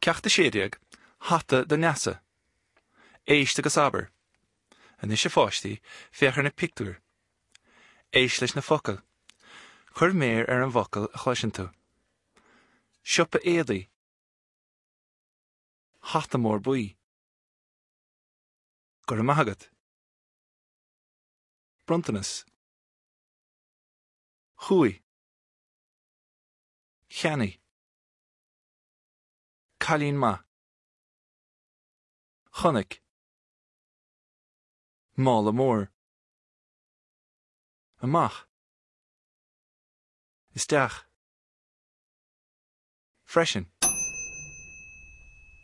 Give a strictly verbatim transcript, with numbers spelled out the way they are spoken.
Ceacht a sé déag, Hata do Neasa. Éist agus abair. Anois a pháistí, féach ar na pictiúir. Éist leis na focail. Cuir méar ar an bhfocal a chloiseann tú. Siopa éadaí. Hata mór buí. Go raibh maith agat. Bronntanas. Chuaigh. Cheannaigh. Cailín maith. Chonaic. Mála mór. Amach. Isteach. Freisin.